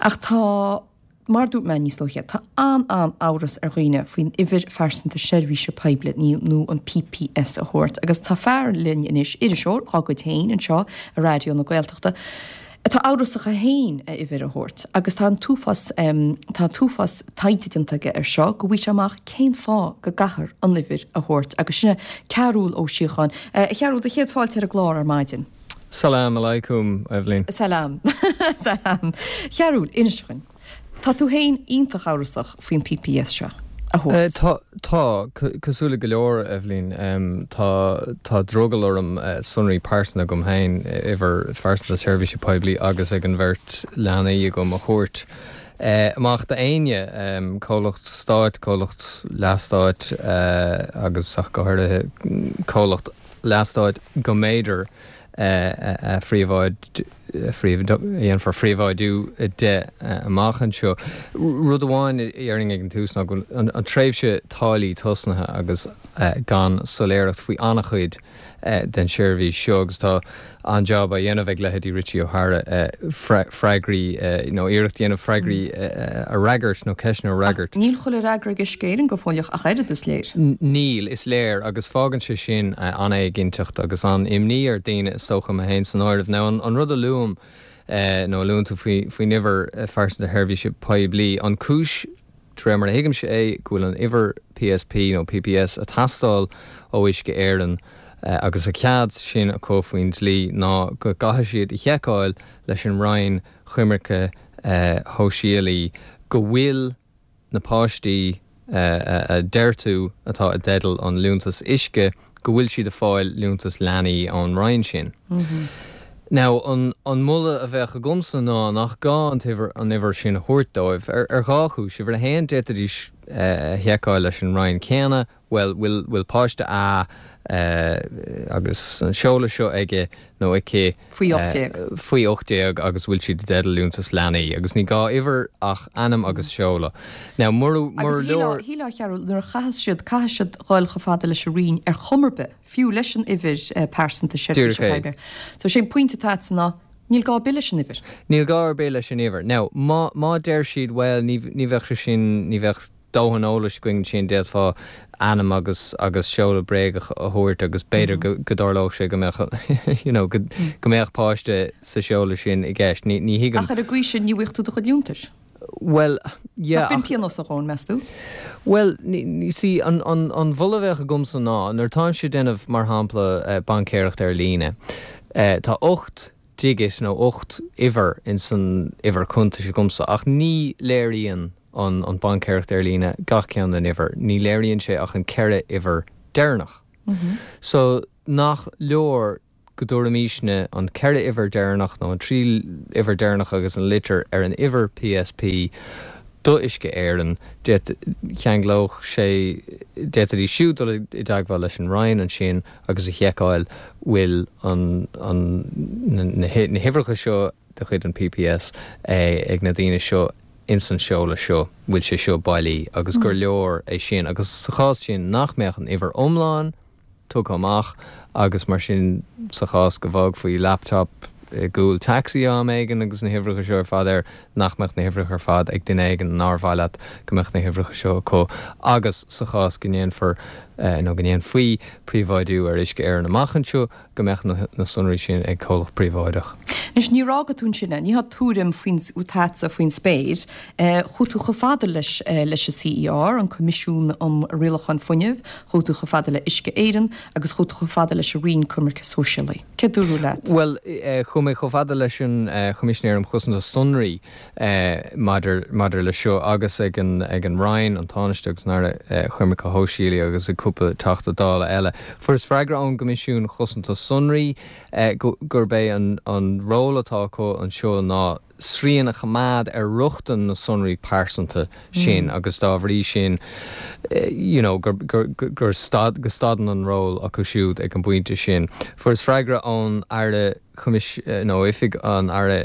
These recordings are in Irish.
Ach tá, mar a dúirt mé níos luaithe, tá an-an-amhras ar dhaoine faoin uimhir phearsanta seirbhíse poiblí nó an PPS a thabhairt. Agus tá fear linn anois, iriseoir dhá gcuid féin anseo i Raidió na Gaeltachta, atá amhrasach é féin a uimhir a thabhairt. Agus tá an t-uafás, tá an t-uafás taighde déanta aige ar seo go bhfaighidh sé amach cén fáth go gcaithfear an uimhir a thabhairt. Agus sin é Cearúll Ó Síocháin. A Chearúil, do chéad fáilte ar an gclár ar maidin. Salam alaikum, Eibhlín. Salam. Salam. Chearúil, inis dhúinn. Tá tú féin iontach amhrasach faoin PPS seo a thabhairt. Tá, tá. Cosúil le go leor, Eibhlín, tá, tá drogall orm sonraí pearsanta agam féin, uimhir phearsanta seirbhíse poiblí agus ag an bheirt leanaí agam a thabhairt amach d'éinne, comhlacht stáit, comhlacht leathstáit agus ach go háirithe comhlacht leathstáit go mb'fhéidir a dhéanfar phríobháidiú de amach anseo. Rud amháin a déarfainn ag an tús ná go bhfuil an tréimhse táillí tosnaithe agus gan soiléireacht faoi an-chuid den tseirbhís seo agus tá an-jab á dhéanamh ag leithéidí Richie O'Hara freagraí nó iarracht a dhéanamh freagraí a fhreagairt nó ceisteanna a fhreagairt. Ach níl chuile fhreagra ag Uisce Éireann go fóilleach ach oiread, is léir. Níl, is léir, agus fágann sé sin an-éiginnteacht agus an-imní ar dhaoine, is dócha, mé féin san áireamh. Now, an rud a luaim, nó a luann tú faoin uimhir phearsanta sheirbhíse poiblí, an cúis, De réir mar a thuigimse é, go bhfuil an uimhir PSP nó PPS ag teastáil ó Uisce Éireann agus an cead sin acu faoin dlí ná go gcaithfidh siad a sheiceáil leis an Roinn Coimirce Shóisialaí go bhfuil na páistí a deir tú atá i dteideal an liúntas uisce go bhfuil siad ag fáil liúntas leanaí ón Roinn sin. Now, an moladh a bheadh agamsa ná nach gá an t-uimhir, an uimhir sin a thabhairt dóibh, ar, ar dhá chúis. Uimhir a haon, d'fhéadfaidís a sheiceáil leis an Roinn céanna, bhuel, bhfuil, bhfuil páiste A agus an seoladh seo aige nó aici, Faoi 18. Faoi 18 agus bhfuil siad i dteideal liúntas leanaí agus ní gá uimhir ach ainm agus seoladh. Now mura Agus leor. Agus shílfeá, a Chearúil, nuair a chaitheas siad, caithfidh siad dhul chomh fada leis an Roinn ar chuma ar bith, fiú leis an uimhir pearsanta seirbhíse poiblí. So sé an pointe atá agatsa ná níl gá ar bith leis an uimhir. Níl gá ar bith leis an uimhir. Now má, má deir siad bhuel ní, ní bheadh sé sin, ní bheadh dóthain eolais againn ansin, d'fhéadfá ainm agus agus seoladh bréagach a thabhairt agus b'fhéidir go go dtarlódh sé go mbeadh you know go go mbeadh páiste sa seoladh sin i gceist. Ní ní thuigim. Ach ar an gcaoi sin ní bhfuigheadh tú do chuid liúntais. Bhuel, yeah Nach b'in pionós a dhóthain, meas tú? Bhuel, ní see an an an mholadh a bheadh agamsa ná nuair atáimse ag déanamh mar shampla baincéireacht ar líne, tá 8 digit nó 8 uimhir ins an uimhir cuntais agamsa ach ní léiríonn an an baincéireacht ar líne gach ceann den uimhir, ní léiríonn sé ach an 4 uimhir deireanach. So nach leor go dtabharfaimisne an 4 uimhir deireanach nó an 3 uimhir deireanach agus an litir ar an uimhir PSP do Uisce Éireann, cheanglódh sé, d'fhéadfaidís siúd dul i dteagmháil leis an Roinn ansin agus a sheiceáil bhfuil an, an, na huimhreacha seo de chuid an PPS ag na daoine seo ins an seoladh seo, bhfuil sé seo bailí agus gur leor é sin agus sa chás sin nach mbeadh an uimhir iomlán tugtha amach agus mar sin sa chás go bhfágfaí laptop i gcúl taxi am éigin agus na huimhreacha seo ar fad air, nach mbeadh na huimhreacha ar fad ag duine éigin nár mhaith leat go mbeadh na huimhreacha seo acu agus sa chás go ndéanfar nó go ndéanfaí príobháidiú ar Uisce Éireann amach anseo go mbeadh na sonraí sin ag comhlacht príobháideach. Anois, níor fhága tú ansin é. Ní há tuairim faoin atá agatsa faoin spéir. Chuaigh tú chomh fada leis leis an CER, an Coimisiún um Rialachán Fuinnimh, chuaigh tú chomh fada le Uisce Éireann agus chuaigh tú chomh fada leis an Roinn Coimirce Sóisialaí. Céard dúradh leat? Bhuel, chuaigh mé chomh fada leis an Choimisinéir um Chosaint Sonraí maidir maidir leis seo agus ag an ag an Roinn, an Tánaiste agus an Aire Coimirce Shóisialaí agus ag cúpla Teachta Dála eile. Fuaireas freagra ón gCoimisiún Chosanta Sonraí gurb é an an ról atá acu anseo ná srian a choimeád ar rochtain na sonraí pearsanta sin agus dá bhrí sin you know gur gur gur stad go stadann an ról acu siúd ag an bpointe sin. Fuaireas freagra ón Aire Choimis nó Oifig an Aire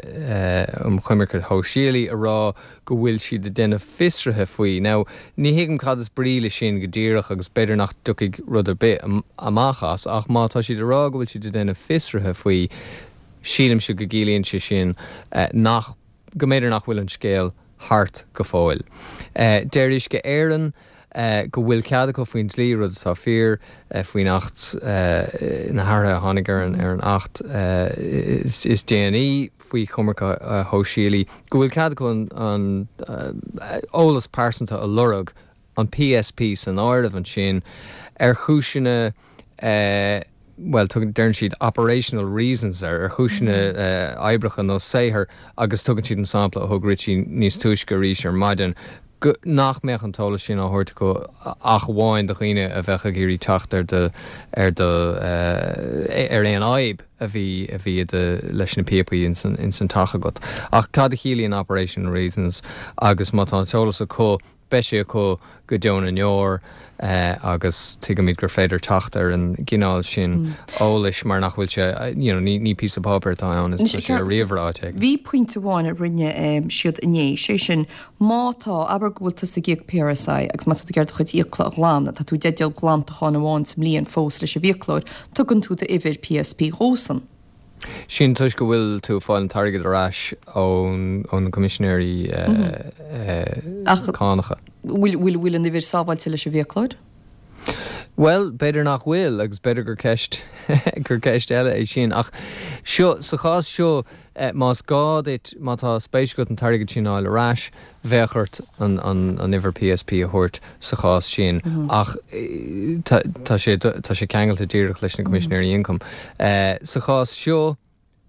um Choimirce Shóisialaí a rá go bhfuil siad ag déanamh fiosraithe faoi. Now, ní thuigim cad is brí le sin go díreach agus b'fhéidir nach dtiocfaidh rud ar bith amach as ach má tá siad ag rá go bhfuil siad ag déanamh fiosraithe faoi, sílimse go gciallaíonn sé sin nach. go mb'fhéidir nach bhfuil an scéal thart go fóill. Deir Uisce Éireann go bhfuil cead acu faoin dlí, rud atá fíor, faoin Acht, na hathruithe a tháinig ar an Acht is déanaí faoi choimirce shóisialaí, go bhfuil cead acu an eolas pearsanta a lorg, an PSP san áireamh ansin, ar chúiseanna bhuel, tugann, deireann siad operational reasons, ar chúiseanna oibreacha nó saothair agus tugann siad an sampla a thug Richie níos túisce arís ar maidin, go, nach mbeadh an t-eolas sin á thabhairt acu ach amháin do dhaoine a bheadh ag iarraidh teacht ar do, ar do, ar aon fhadhb a bhí, a bhí i do, leis na píopaí ins an, ins an teach agat. Ach cad a chiallaíonn operational reasons agus má tá an t-eolas acu, Beidh sé acu go deo na ndeor agus tuigimid gur féidir teacht ar an gcineál sin eolais mar nach bhfuil sé, you know, ní píosa páipéir atá ann, is tá sé ar ríomhaire áit éigin. Bhí pointe amháin a rinne siad inné, sé sin, má tá, abair go bhfuil tusa ag íoc PRSI agus má tá tú ag iarraidh do chuid fiacla a ghlanadh, tá tú i dteideal glantachán amháin sa mbliain fós leis an bhfiaclóir, tugann tú d'uimhir PSP dhósan. Sin toisc go bhfuil tú ag fáil an t-airgead ar ais ó na Coimisinéirí Cánacha. Ach bhfuil, bhfuil an uimhir sábháilte leis an bhfiaclóir? Bhuel, b'fhéidir nach bhfuil agus b'fhéidir gur ceist, gur ceist eile é sin. Ach seo, sa chás seo, más gá duit, má tá spéis agat an t-airgead sin a fháil ar ais, bheadh ort an uimhir PSP a thabhairt sa chás sin ach tá sé tá sé ceangailte díreach leis na Coimisinéirí Ioncaim. Sa chás seo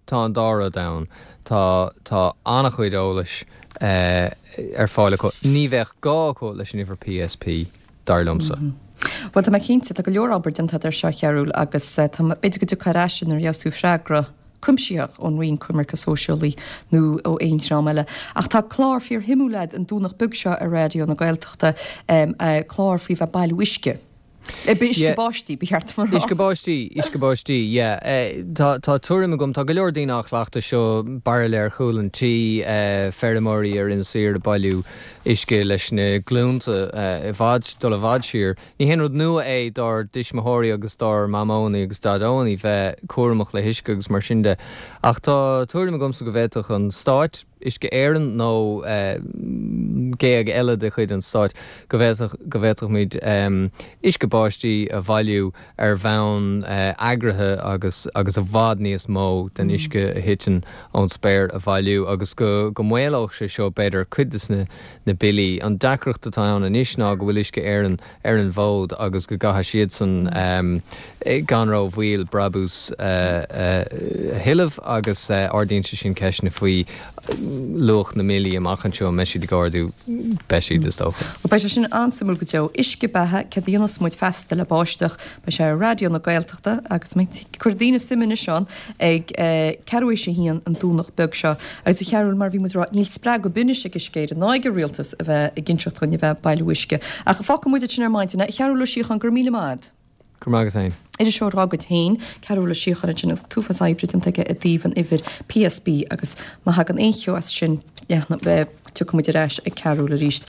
tá an dá rud ann. Tá tá an-chuid eolais ar fáil acu. Ní bheadh gá acu leis an uimhir PSP, dar liomsa. Bhuel tá mé cinnte, tá go leor obair déanta agat air seo, a Chearúil, agus tá b'fhéidir go dtiocfá ar ais nuair a gheobhas tú freagra. cuimsitheach ón Roinn Coimirce Sóisialaí nó ó aon dream eile. Ach tá clár fíor-shuimiúil agat an Domhnach beag seo ar Raidió na Gaeltachta, clár faoi bheith ag bailiú uisce. Uisce báistí, ba cheart dom a rá. Uisce báistí, uisce báistí, yeah. Tá, tá tuairim agam, tá go leor daoine á chleachtadh seo, bairille ar chúl an tí, feirmeoirí ar Inis Oírr ag bailiú uisce leis na glúnta i bhfad, dul i bhfad siar. Ní haon rud nua é dár dtuismitheoirí agus dár mamóanna agus daidóanna bheith cúramach le huisce agus mar sin de, ach tá tuairim agamsa go bhféadfadh an Stáit, Uisce Éireann nó géag eile de chuid an Stáit, go bhféadfadh, go bhféadfadh muid uisce báistí a bhailiú ar bhonn eagraithe agus agus i bhfad níos mó den uisce a thiteann ón spéir a bhailiú agus go go maolódh sé seo b'fhéidir cuid de na na billí. An deacracht atá ann anois ná go bhfuil Uisce Éireann ar an bhfód agus go gcaithfidh siadsan gan ró-mhoill brabús a thuilleamh agus ardaíonn sé sin ceisteanna faoi luach na mbillí amach anseo. An mbeidh siad ag ardú? Beidh siad, is dócha. Bhuel, beidh sé sin an-suimiúil go deo. Uisce beatha, céard a dhéanfas muid feasta le báisteach? Beidh sé ar Raidió na Gaeltachta agus cuirfidh daoine suim anois ann ag ceathrú théis a haon an Domhnach beag seo. Agus a Chearúil, mar a bhí muid ag rá, níl spreagadh ar bith anois ag Uisce Éireann ná ag an Rialtas a bheith ag inseacht dhúinn a bheith ag bailiú uisce. Ach fágfaidh muid ansin ar maidin é. A Chearúil Ó Síocháin, go raibh míle maith agat. Go raibh maith agat féin. Iriseoir dá gcuid féin, Cearúl Ó Síocháin ansin agus an t-uafás oibre déanta aige i dtaobh an uimhir PSB agus má thagann aon cheo as sin, tiocfaidh muid ar ais ag Cearúl arís.